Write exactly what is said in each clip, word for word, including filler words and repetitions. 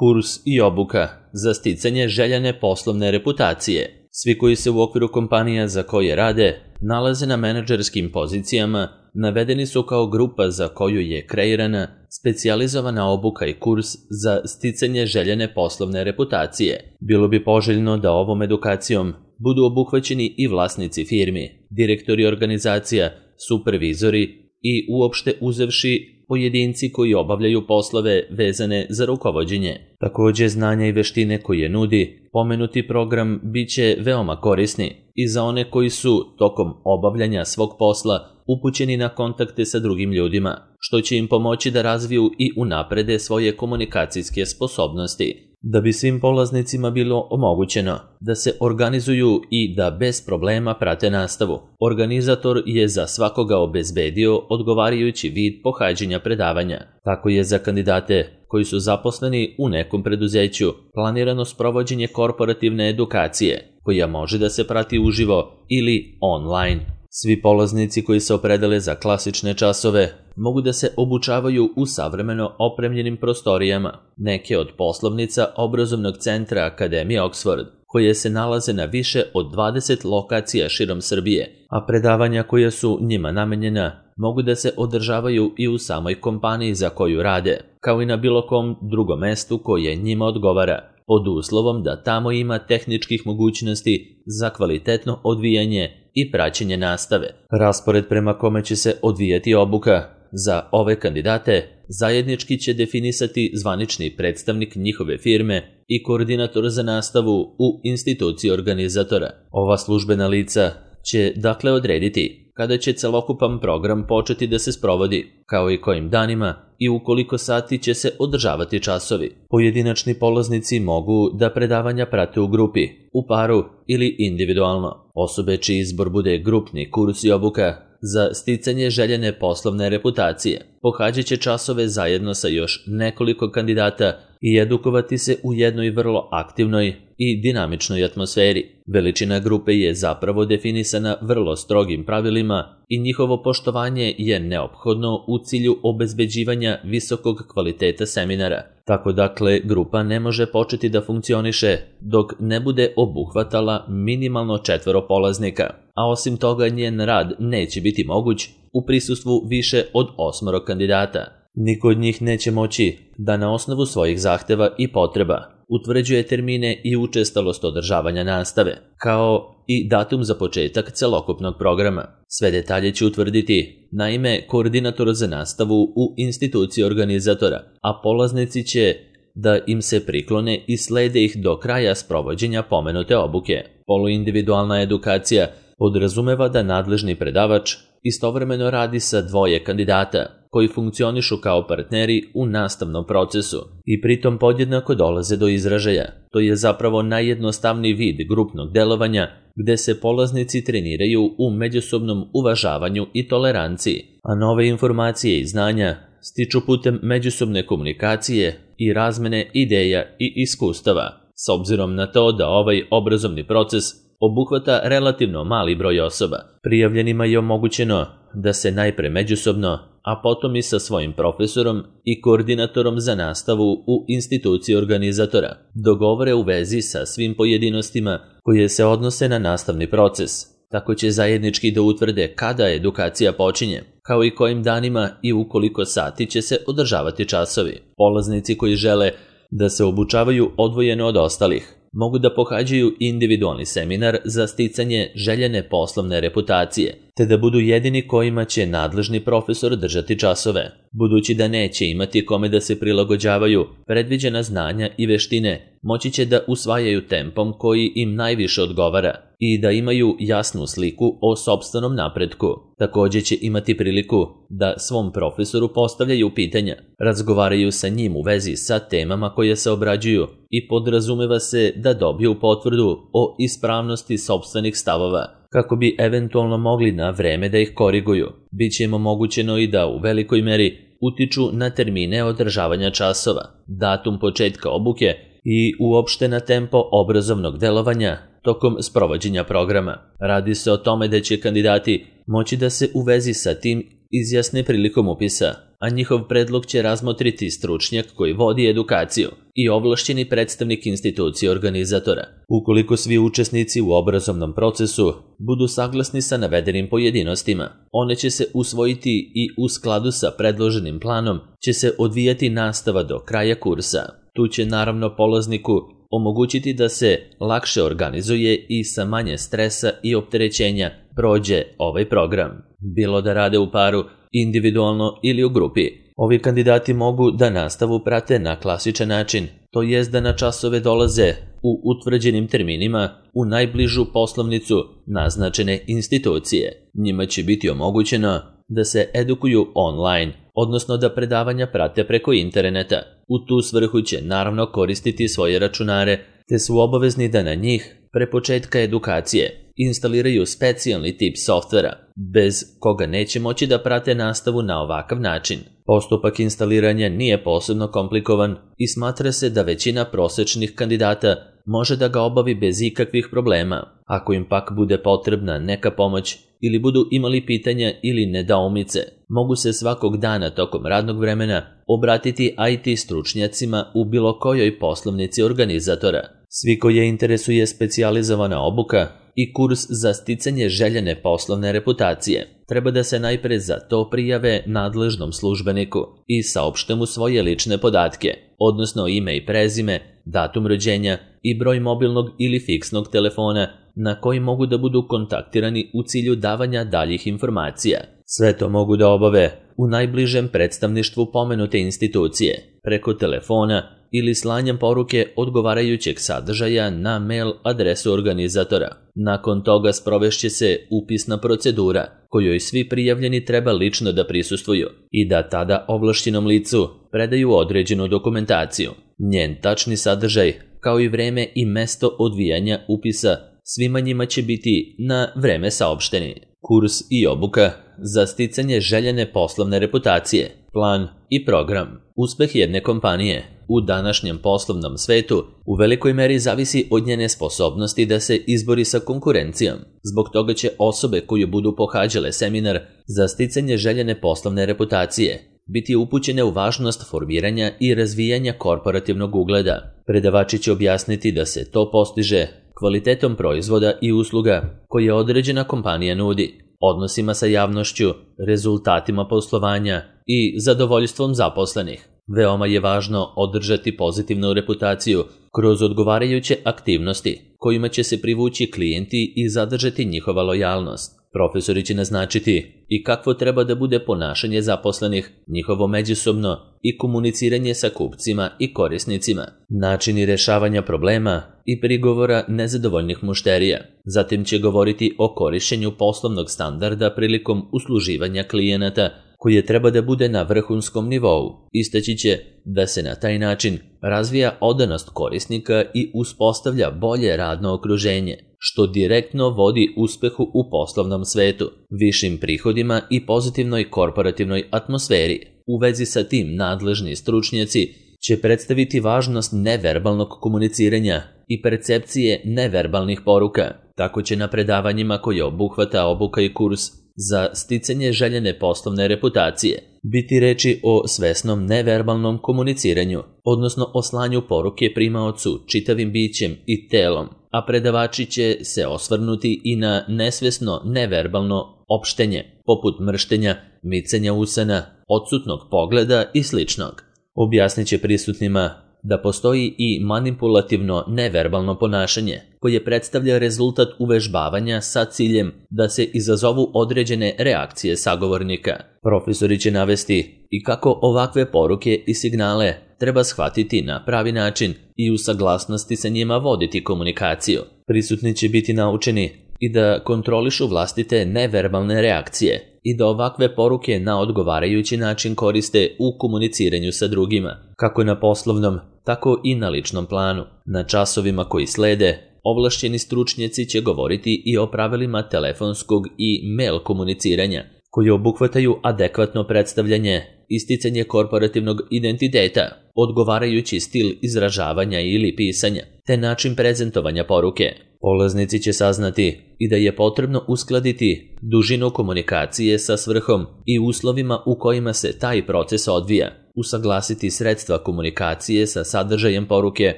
kurs i obuka za sticanje željene poslovne reputacije. Svi koji se u okviru kompanija za koje rade nalaze na menadžerskim pozicijama navedeni su kao grupa za koju je kreirana specijalizovana obuka i kurs za sticanje željene poslovne reputacije. Bilo bi poželjno da ovom edukacijom budu obuhvaćeni i vlasnici firmi, direktori organizacija, supervizori i uopšte uzevši pojedinci koji obavljaju poslove vezane za rukovođenje. Takođe, znanja i veštine koje nudi pomenuti program bit će veoma korisni i za one koji su tokom obavljanja svog posla upućeni na kontakte sa drugim ljudima, što će im pomoći da razviju i unaprede svoje komunikacijske sposobnosti. Da bi svim polaznicima bilo omogućeno da se organizuju i da bez problema prate nastavu, organizator je za svakoga obezbedio odgovarajući vid pohađanja predavanja. Tako je za kandidate koji su zaposleni u nekom preduzeću planirano sprovođenje korporativne edukacije, koja može da se prati uživo ili online. Svi polaznici koji se opredele za klasične časove mogu da se obučavaju u savremeno opremljenim prostorijama neke od poslovnica obrazovnog centra Akademije Oxford, koje se nalaze na više od dvadeset lokacija širom Srbije, a predavanja koja su njima namenjena mogu da se održavaju i u samoj kompaniji za koju rade, kao i na bilo kom drugom mestu koje njima odgovara, pod uslovom da tamo ima tehničkih mogućnosti za kvalitetno odvijanje i praćenje nastave. Raspored prema kome će se odvijati obuka za ove kandidate zajednički će definisati zvanični predstavnik njihove firme i koordinator za nastavu u instituciji organizatora. Ova službena lica će dakle odrediti kada će celokupan program početi da se sprovodi, kao i kojim danima i u koliko sati će se održavati časovi. Pojedinačni polaznici mogu da predavanja prate u grupi, u paru ili individualno. Osobe čiji izbor bude grupni kurs i obuka za sticanje željene poslovne reputacije pohađat će časove zajedno sa još nekoliko kandidata i edukovati se u jednoj vrlo aktivnoj i dinamičnoj atmosferi. Veličina grupe je zapravo definisana vrlo strogim pravilima i njihovo poštovanje je neophodno u cilju obezbeđivanja visokog kvaliteta seminara. Tako dakle, grupa ne može početi da funkcioniše dok ne bude obuhvatala minimalno četvoro polaznika, a osim toga njen rad neće biti moguć u prisustvu više od osmoro kandidata. Niko od njih neće moći da na osnovu svojih zahteva i potreba utvrđuje termine i učestalost održavanja nastave, kao i datum za početak celokupnog programa. Sve detalje će utvrditi naime koordinator za nastavu u instituciji organizatora, a polaznici će da im se priklone i slede ih do kraja sprovođenja pomenute obuke. Poluindividualna edukacija podrazumeva da nadležni predavač istovremeno radi sa dvoje kandidata koji funkcionišu kao partneri u nastavnom procesu i pritom podjednako dolaze do izražaja. To je zapravo najjednostavniji vid grupnog delovanja gde se polaznici treniraju u međusobnom uvažavanju i toleranciji, a nove informacije i znanja stiču putem međusobne komunikacije i razmene ideja i iskustava. S obzirom na to da ovaj obrazovni proces obuhvata relativno mali broj osoba, prijavljenima je omogućeno da se najpre međusobno, a potom i sa svojim profesorom i koordinatorom za nastavu u instituciji organizatora dogovore u vezi sa svim pojedinostima koje se odnose na nastavni proces. Tako će zajednički da utvrde kada edukacija počinje, kao i kojim danima i u koliko sati će se održavati časovi. Polaznici koji žele da se obučavaju odvojeno od ostalih mogu da pohađaju individualni seminar za sticanje željene poslovne reputacije, te da budu jedini kojima će nadležni profesor držati časove. Budući da neće imati kome da se prilagođavaju, predviđena znanja i veštine moći će da usvajaju tempom koji im najviše odgovara i da imaju jasnu sliku o sopstvenom napretku. Takođe će imati priliku da svom profesoru postavljaju pitanja, razgovaraju sa njim u vezi sa temama koje se obrađuju i podrazumeva se da dobiju potvrdu o ispravnosti sopstvenih stavova, kako bi eventualno mogli na vreme da ih koriguju. Biće im omogućeno i da u velikoj meri utiču na termine održavanja časova, datum početka obuke i uopšte na tempo obrazovnog delovanja tokom sprovođenja programa. Radi se o tome da će kandidati moći da se u vezi sa tim izjasne prilikom upisa, a njihov predlog će razmotriti stručnjak koji vodi edukaciju i ovlašćeni predstavnik institucije organizatora. Ukoliko svi učesnici u obrazovnom procesu budu saglasni sa navedenim pojedinostima, one će se usvojiti i u skladu sa predloženim planom će se odvijati nastava do kraja kursa. Tu će naravno polazniku omogućiti da se lakše organizuje i sa manje stresa i opterećenja prođe ovaj program, bilo da rade u paru, individualno ili u grupi. Ovi kandidati mogu da nastavu prate na klasičan način, to jest da na časove dolaze u utvrđenim terminima u najbližu poslovnicu naznačene institucije. Njima će biti omogućeno da se edukuju online, odnosno da predavanja prate preko interneta. U tu svrhu će naravno koristiti svoje računare, te su obavezni da na njih, pre početka edukacije, instaliraju specijalni tip softvera, bez koga neće moći da prate nastavu na ovakav način. Postupak instaliranja nije posebno komplikovan i smatra se da većina prosečnih kandidata može da ga obavi bez ikakvih problema. Ako im pak bude potrebna neka pomoć ili budu imali pitanja ili nedoumice, mogu se svakog dana tokom radnog vremena obratiti I T stručnjacima u bilo kojoj poslovnici organizatora. Svi koje interesuje specijalizovana obuka i kurs za sticanje željene poslovne reputacije treba da se najpre za to prijave nadležnom službeniku i saopšte mu svoje lične podatke, odnosno ime i prezime, datum rođenja i broj mobilnog ili fiksnog telefona na koji mogu da budu kontaktirani u cilju davanja daljih informacija. Sve to mogu da obave u najbližem predstavništvu pomenute institucije, preko telefona ili slanjem poruke odgovarajućeg sadržaja na mail adresu organizatora. Nakon toga sprovešće se upisna procedura, kojoj svi prijavljeni treba lično da prisustvuju i da tada ovlašćenom licu predaju određenu dokumentaciju. Njen tačni sadržaj, kao i vreme i mesto odvijanja upisa, svima njima će biti na vreme saopšteni. Kurs i obuka za sticanje željene poslovne reputacije, plan i program. Uspeh jedne kompanije u današnjem poslovnom svetu u velikoj meri zavisi od njene sposobnosti da se izbori sa konkurencijom. Zbog toga će osobe koje budu pohađale seminar za sticanje željene poslovne reputacije biti upućene u važnost formiranja i razvijanja korporativnog ugleda. Predavači će objasniti da se to postiže kvalitetom proizvoda i usluga koje određena kompanija nudi, odnosima sa javnošću, rezultatima poslovanja i zadovoljstvom zaposlenih. Veoma je važno održati pozitivnu reputaciju kroz odgovarajuće aktivnosti kojima će se privući klijenti i zadržati njihova lojalnost. Profesori će naznačiti i kakvo treba da bude ponašanje zaposlenih, njihovo međusobno i komuniciranje sa kupcima i korisnicima, načini rešavanja problema i prigovora nezadovoljnih mušterija. Zatim će govoriti o korišćenju poslovnog standarda prilikom usluživanja klijenata, koje treba da bude na vrhunskom nivou. Istaći će da se na taj način razvija odanost korisnika i uspostavlja bolje radno okruženje, što direktno vodi uspehu u poslovnom svetu, višim prihodima i pozitivnoj korporativnoj atmosferi. U vezi sa tim nadležni stručnjaci će predstaviti važnost neverbalnog komuniciranja i percepcije neverbalnih poruka. Tako će na predavanjima koje obuhvata obuka i kurs za sticanje željene poslovne reputacije biti reči o svesnom neverbalnom komuniciranju, odnosno o slanju poruke primaocu čitavim bićem i telom, a predavači će se osvrnuti i na nesvesno neverbalno opštenje, poput mrštenja, micanja usana, odsutnog pogleda i sličnog. Objasnit će prisutnima da postoji i manipulativno neverbalno ponašanje, koje predstavlja rezultat uvežbavanja sa ciljem da se izazovu određene reakcije sagovornika. Profesori će navesti i kako ovakve poruke i signale treba shvatiti na pravi način i u saglasnosti sa njima voditi komunikaciju. Prisutni će biti naučeni i da kontrolišu vlastite neverbalne reakcije i da ovakve poruke na odgovarajući način koriste u komuniciranju sa drugima, kako na poslovnom, tako i na ličnom planu. Na časovima koji slede, ovlašćeni stručnjaci će govoriti i o pravilima telefonskog i mail komuniciranja, koji obuhvataju adekvatno predstavljanje, isticanje korporativnog identiteta, odgovarajući stil izražavanja ili pisanja, te način prezentovanja poruke. Polaznici će saznati i da je potrebno uskladiti dužinu komunikacije sa svrhom i uslovima u kojima se taj proces odvija, usaglasiti sredstva komunikacije sa sadržajem poruke,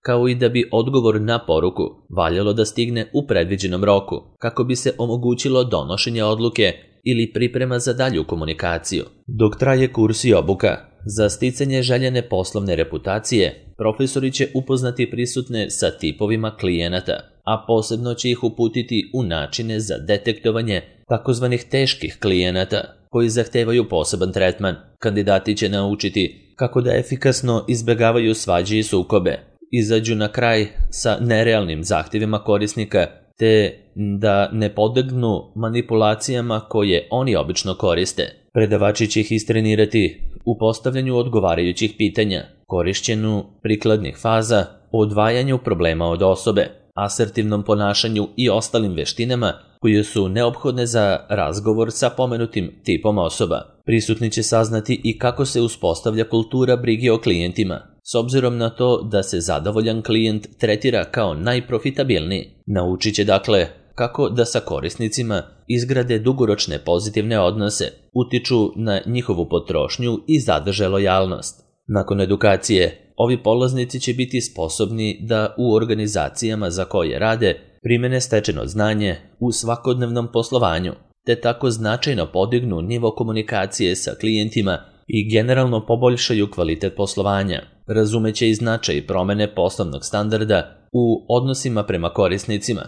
kao i da bi odgovor na poruku valjalo da stigne u predviđenom roku, kako bi se omogućilo donošenje odluke ili priprema za dalju komunikaciju. Dok traje kurs i obuka, za sticanje željene poslovne reputacije, profesori će upoznati prisutne sa tipovima klijenata, a posebno će ih uputiti u načine za detektovanje takozvanih teških klijenata koji zahtevaju poseban tretman. Kandidati će naučiti kako da efikasno izbegavaju svađe i sukobe, izađu na kraj sa nerealnim zahtjevima korisnika, te da ne podlegnu manipulacijama koje oni obično koriste. Predavači će ih istrenirati u postavljanju odgovarajućih pitanja, korišćenju prikladnih faza, odvajanju problema od osobe, asertivnom ponašanju i ostalim veštinama koje su neophodne za razgovor sa pomenutim tipom osoba. Prisutni će saznati i kako se uspostavlja kultura brige o klijentima, s obzirom na to da se zadovoljan klijent tretira kao najprofitabilniji. Naučit će dakle kako da sa korisnicima izgrade dugoročne pozitivne odnose, utiču na njihovu potrošnju i zadrže lojalnost. Nakon edukacije, ovi polaznici će biti sposobni da u organizacijama za koje rade primene stečeno znanje u svakodnevnom poslovanju, te tako značajno podignu nivo komunikacije sa klijentima i generalno poboljšaju kvalitet poslovanja. Razumeće i značaj promene poslovnog standarda u odnosima prema korisnicima,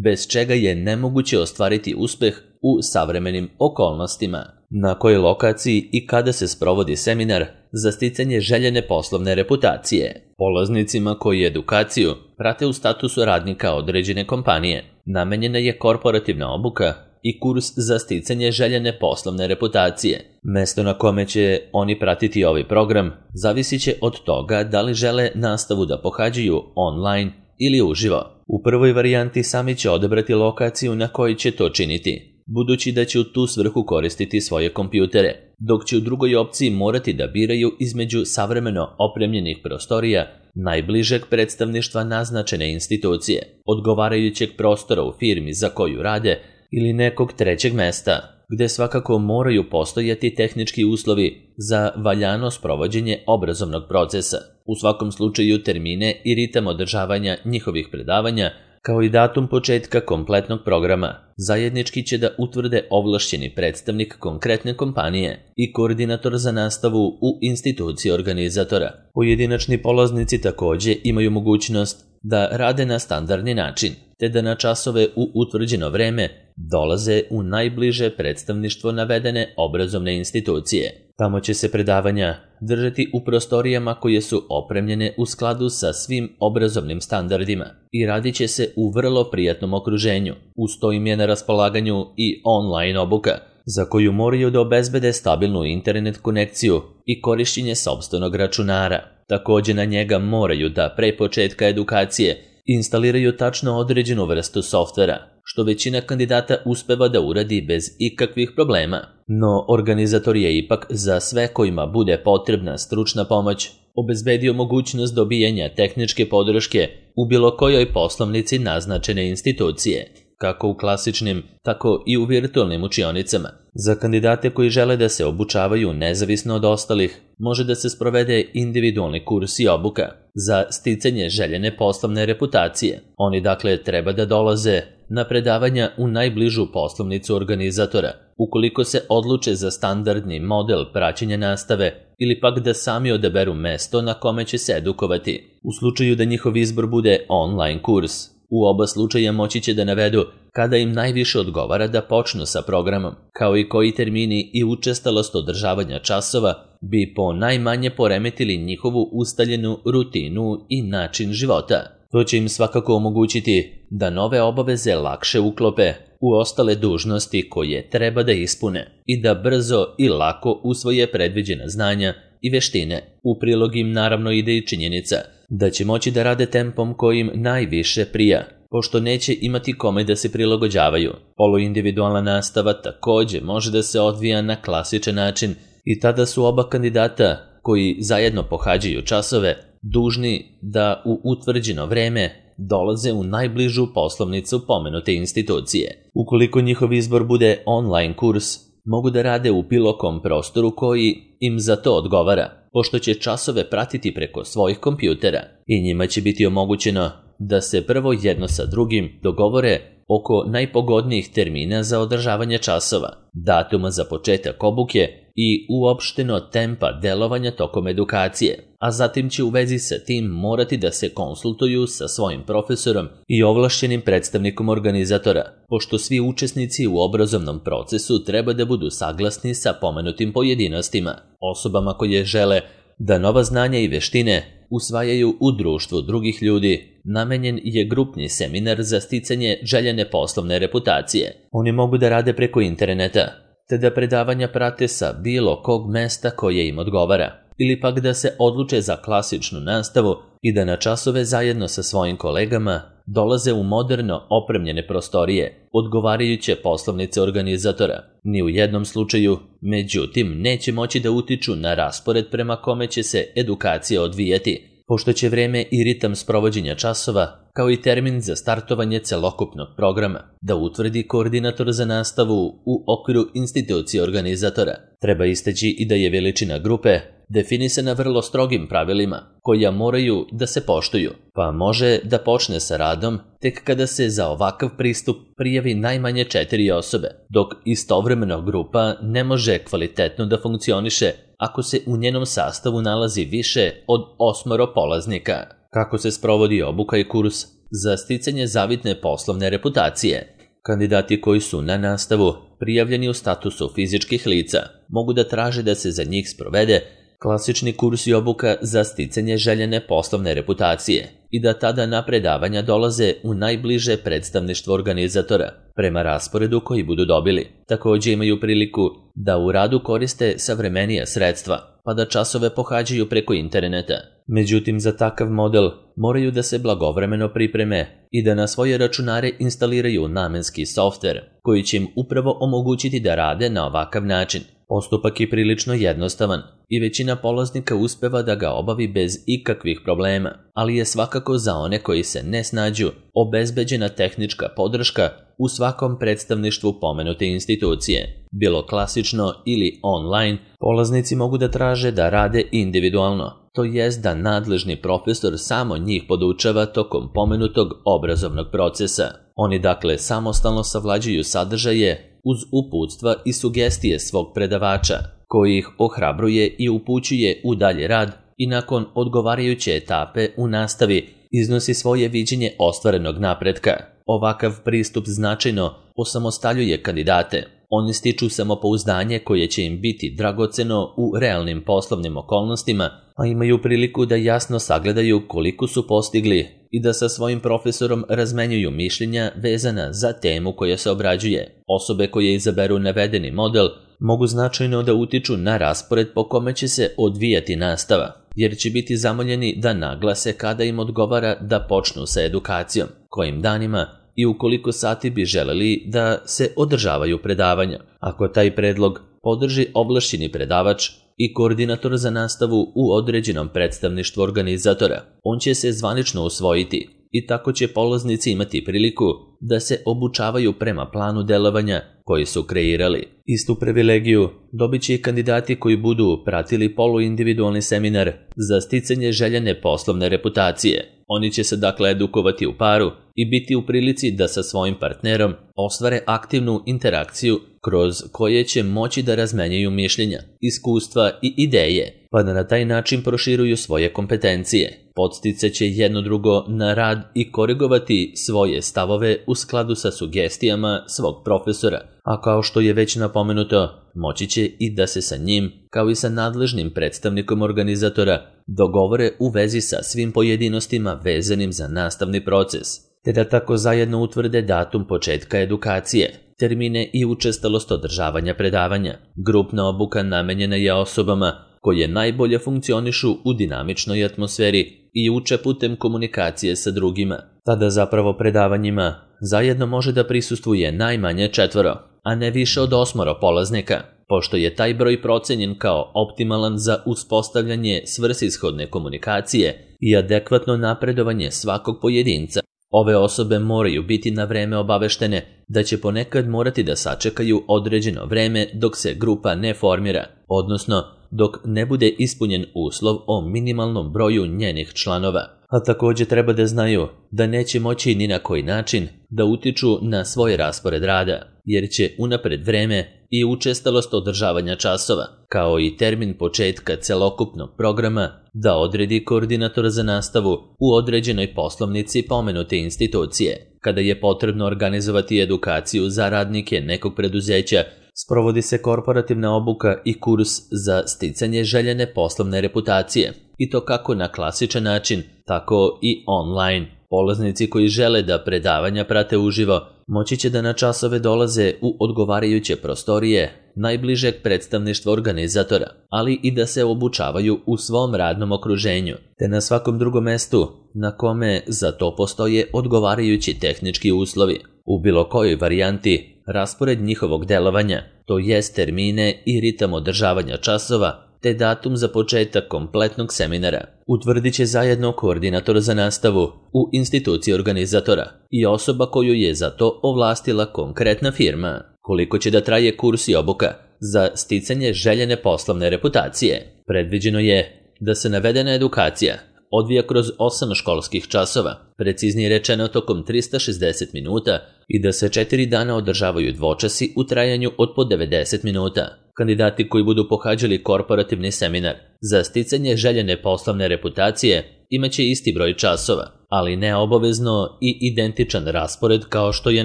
bez čega je nemoguće ostvariti uspeh u savremenim okolnostima. Na kojoj lokaciji i kada se sprovodi seminar za sticanje željene poslovne reputacije? Polaznicima koji edukaciju prate u statusu radnika određene kompanije, namenjena je korporativna obuka i kurs za sticanje željene poslovne reputacije. Mesto na kome će oni pratiti ovaj program zavisit će od toga da li žele nastavu da pohađaju online ili uživo. U prvoj varijanti sami će odabrati lokaciju na kojoj će to činiti, budući da će u tu svrhu koristiti svoje kompjutere, dok će u drugoj opciji morati da biraju između savremeno opremljenih prostorija, najbližeg predstavništva naznačene institucije, odgovarajućeg prostora u firmi za koju rade ili nekog trećeg mesta, gde svakako moraju postojati tehnički uslovi za valjano sprovođenje obrazovnog procesa. U svakom slučaju termine i ritam održavanja njihovih predavanja, kao i datum početka kompletnog programa, zajednički će da utvrde ovlašćeni predstavnik konkretne kompanije i koordinator za nastavu u instituciji organizatora. Pojedinačni polaznici takođe imaju mogućnost da rade na standardni način, te da na časove u utvrđeno vreme dolaze u najbliže predstavništvo navedene obrazovne institucije. Tamo će se predavanja držati u prostorijama koje su opremljene u skladu sa svim obrazovnim standardima i radit će se u vrlo prijatnom okruženju. Uz to im je na raspolaganju i online obuka, za koju moraju da obezbede stabilnu internet konekciju i korišćenje sopstvenog računara. Takođe na njega moraju da pre početka edukacije instaliraju tačno određenu vrstu softvera, što većina kandidata uspeva da uradi bez ikakvih problema. No, organizator je ipak za sve kojima bude potrebna stručna pomoć obezbedio mogućnost dobijanja tehničke podrške u bilo kojoj poslovnici naznačene institucije, kako u klasičnim, tako i u virtualnim učionicama. Za kandidate koji žele da se obučavaju nezavisno od ostalih, može da se sprovede individualni kurs i obuka za sticanje željene poslovne reputacije. Oni dakle treba da dolaze na predavanja u najbližu poslovnicu organizatora, ukoliko se odluče za standardni model praćenja nastave ili pak da sami odaberu mesto na kome će se edukovati. U slučaju da njihov izbor bude online kurs, u oba slučaja moći će da navedu kada im najviše odgovara da počnu sa programom, kao i koji termini i učestalost održavanja časova bi po najmanje poremetili njihovu ustaljenu rutinu i način života. To će im svakako omogućiti da nove obaveze lakše uklope u ostale dužnosti koje treba da ispune i da brzo i lako usvoje predviđena znanja i veštine. U prilog im naravno ide i činjenica da će moći da rade tempom kojim najviše prija, pošto neće imati kome da se prilagođavaju. Poluindividualna nastava takođe može da se odvija na klasičan način i tada su oba kandidata koji zajedno pohađaju časove dužni da u utvrđeno vreme dolaze u najbližu poslovnicu pomenute institucije. Ukoliko njihov izbor bude online kurs, mogu da rade u bilo kom prostoru koji im za to odgovara, pošto će časove pratiti preko svojih kompjutera i njima će biti omogućeno da se prvo jedno sa drugim dogovore oko najpogodnijih termina za održavanje časova, datuma za početak obuke i uopšteno tempa delovanja tokom edukacije, a zatim će u vezi sa tim morati da se konsultuju sa svojim profesorom i ovlašćenim predstavnikom organizatora, pošto svi učesnici u obrazovnom procesu treba da budu saglasni sa pomenutim pojedinostima. Osobama koje žele da nova znanja i veštine usvajaju u društvu drugih ljudi, namenjen je grupni seminar za sticanje željene poslovne reputacije. Oni mogu da rade preko interneta, te da predavanja prate sa bilo kog mesta koje im odgovara, ili pak da se odluče za klasičnu nastavu i da na časove zajedno sa svojim kolegama dolaze u moderno opremljene prostorije, odgovarajuće poslovnice organizatora. Ni u jednom slučaju, međutim, neće moći da utiču na raspored prema kome će se edukacija odvijati, pošto će vreme i ritam sprovođenja časova, kao i termin za startovanje celokupnog programa, da utvrdi koordinator za nastavu u okviru institucije organizatora. Treba istaći i da je veličina grupe definisana vrlo strogim pravilima, koja moraju da se poštuju, pa može da počne sa radom tek kada se za ovakav pristup prijavi najmanje četiri osobe, dok istovremeno grupa ne može kvalitetno da funkcioniše ako se u njenom sastavu nalazi više od osmoro polaznika. Kako se sprovodi obuka i kurs za sticanje zavidne poslovne reputacije? Kandidati koji su na nastavu prijavljeni u statusu fizičkih lica mogu da traže da se za njih sprovede klasični kurs i obuka za sticanje željene poslovne reputacije i da tada na predavanja dolaze u najbliže predstavništvo organizatora prema rasporedu koji budu dobili. Također imaju priliku da u radu koriste savremenija sredstva, pa da časove pohađaju preko interneta. Međutim, za takav model moraju da se blagovremeno pripreme i da na svoje računare instaliraju namenski softver koji će im upravo omogućiti da rade na ovakav način. Postupak je prilično jednostavan i većina polaznika uspeva da ga obavi bez ikakvih problema, ali je svakako za one koji se ne snađu obezbeđena tehnička podrška u svakom predstavništvu pomenute institucije. Bilo klasično ili online, polaznici mogu da traže da rade individualno, to jest da nadležni profesor samo njih podučava tokom pomenutog obrazovnog procesa. Oni dakle samostalno savlađuju sadržaje uz uputstva i sugestije svog predavača, koji ih ohrabruje i upućuje u dalji rad i nakon odgovarajuće etape u nastavi iznosi svoje viđenje ostvarenog napretka. Ovakav pristup značajno osamostaljuje kandidate. Oni stiču samopouzdanje koje će im biti dragoceno u realnim poslovnim okolnostima, a imaju priliku da jasno sagledaju koliko su postigli i da sa svojim profesorom razmenjuju mišljenja vezana za temu koja se obrađuje. Osobe koje izaberu navedeni model mogu značajno da utiču na raspored po kome će se odvijati nastava, jer će biti zamoljeni da naglase kada im odgovara da počnu sa edukacijom, kojim danima i u koliko sati bi želeli da se održavaju predavanja. Ako taj predlog podrži ovlašćeni predavač i koordinator za nastavu u određenom predstavništvu organizatora, on će se zvanično usvojiti i tako će polaznici imati priliku da se obučavaju prema planu delovanja koji su kreirali. Istu privilegiju dobit će i kandidati koji budu pratili poluindividualni seminar za sticanje željene poslovne reputacije. Oni će se dakle edukovati u paru i biti u prilici da sa svojim partnerom ostvare aktivnu interakciju kroz koje će moći da razmenjaju mišljenja, iskustva i ideje, pa da na taj način proširuju svoje kompetencije. Podsticat će jedno drugo na rad i korigovati svoje stavove u skladu sa sugestijama svog profesora, a kao što je već napomenuto, moći će i da se sa njim, kao i sa nadležnim predstavnikom organizatora, dogovore u vezi sa svim pojedinostima vezanim za nastavni proces, te da tako zajedno utvrde datum početka edukacije, termine i učestalost održavanja predavanja. Grupna obuka namenjena je osobama koje najbolje funkcionišu u dinamičnoj atmosferi i uče putem komunikacije sa drugima. Tada zapravo predavanjima zajedno može da prisustvuje najmanje četvoro, a ne više od osmoro polaznika, pošto je taj broj procenjen kao optimalan za uspostavljanje svrsishodne komunikacije i adekvatno napredovanje svakog pojedinca. Ove osobe moraju biti na vreme obaveštene da će ponekad morati da sačekaju određeno vreme dok se grupa ne formira, odnosno dok ne bude ispunjen uslov o minimalnom broju njenih članova. A također treba da znaju da neće moći ni na koji način da utiču na svoj raspored rada, jer će unapred vreme i učestalost održavanja časova, kao i termin početka celokupnog programa, da odredi koordinator za nastavu u određenoj poslovnici pomenute institucije. Kada je potrebno organizovati edukaciju za radnike nekog preduzeća, sprovodi se korporativna obuka i kurs za sticanje željene poslovne reputacije, i to kako na klasičan način, tako i online. Polaznici koji žele da predavanja prate uživo, moći će da na časove dolaze u odgovarajuće prostorije najbližeg predstavništva organizatora, ali i da se obučavaju u svom radnom okruženju, te na svakom drugom mestu na kome za to postoje odgovarajući tehnički uslovi. U bilo kojoj varijanti, raspored njihovog delovanja, to jest termine i ritam održavanja časova, te datum za početak kompletnog seminara, utvrdit će zajedno koordinator za nastavu u instituciji organizatora i osoba koju je za to ovlastila konkretna firma. Koliko će da traje kurs i obuka za sticanje željene poslovne reputacije? Predviđeno je da se navedena edukacija odvija kroz osam školskih časova, preciznije rečeno tokom trista šezdeset minuta, i da se četiri dana održavaju dvočasi u trajanju od po devedeset minuta. Kandidati koji budu pohađali korporativni seminar za sticanje željene poslovne reputacije imaće isti broj časova, ali ne obavezno i identičan raspored kao što je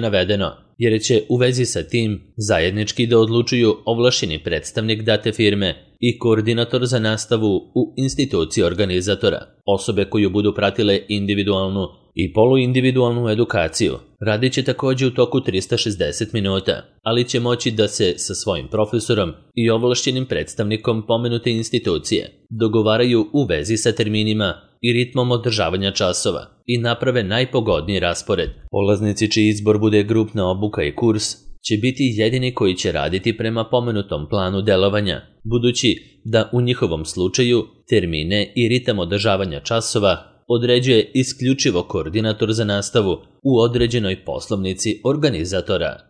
navedeno, jer će u vezi sa tim zajednički da odlučuju ovlašćeni predstavnik date firme i koordinator za nastavu u instituciji organizatora. Osobe koju budu pratile individualnu i poluindividualnu edukaciju radit će također u toku trista šezdeset minuta, ali će moći da se sa svojim profesorom i ovlašćenim predstavnikom pomenute institucije dogovaraju u vezi sa terminima i ritmom održavanja časova i naprave najpogodniji raspored. Polaznici čiji izbor bude grupna obuka i kurs će biti jedini koji će raditi prema pomenutom planu delovanja, budući da u njihovom slučaju termine i ritam održavanja časova određuje isključivo koordinator za nastavu u određenoj poslovnici organizatora.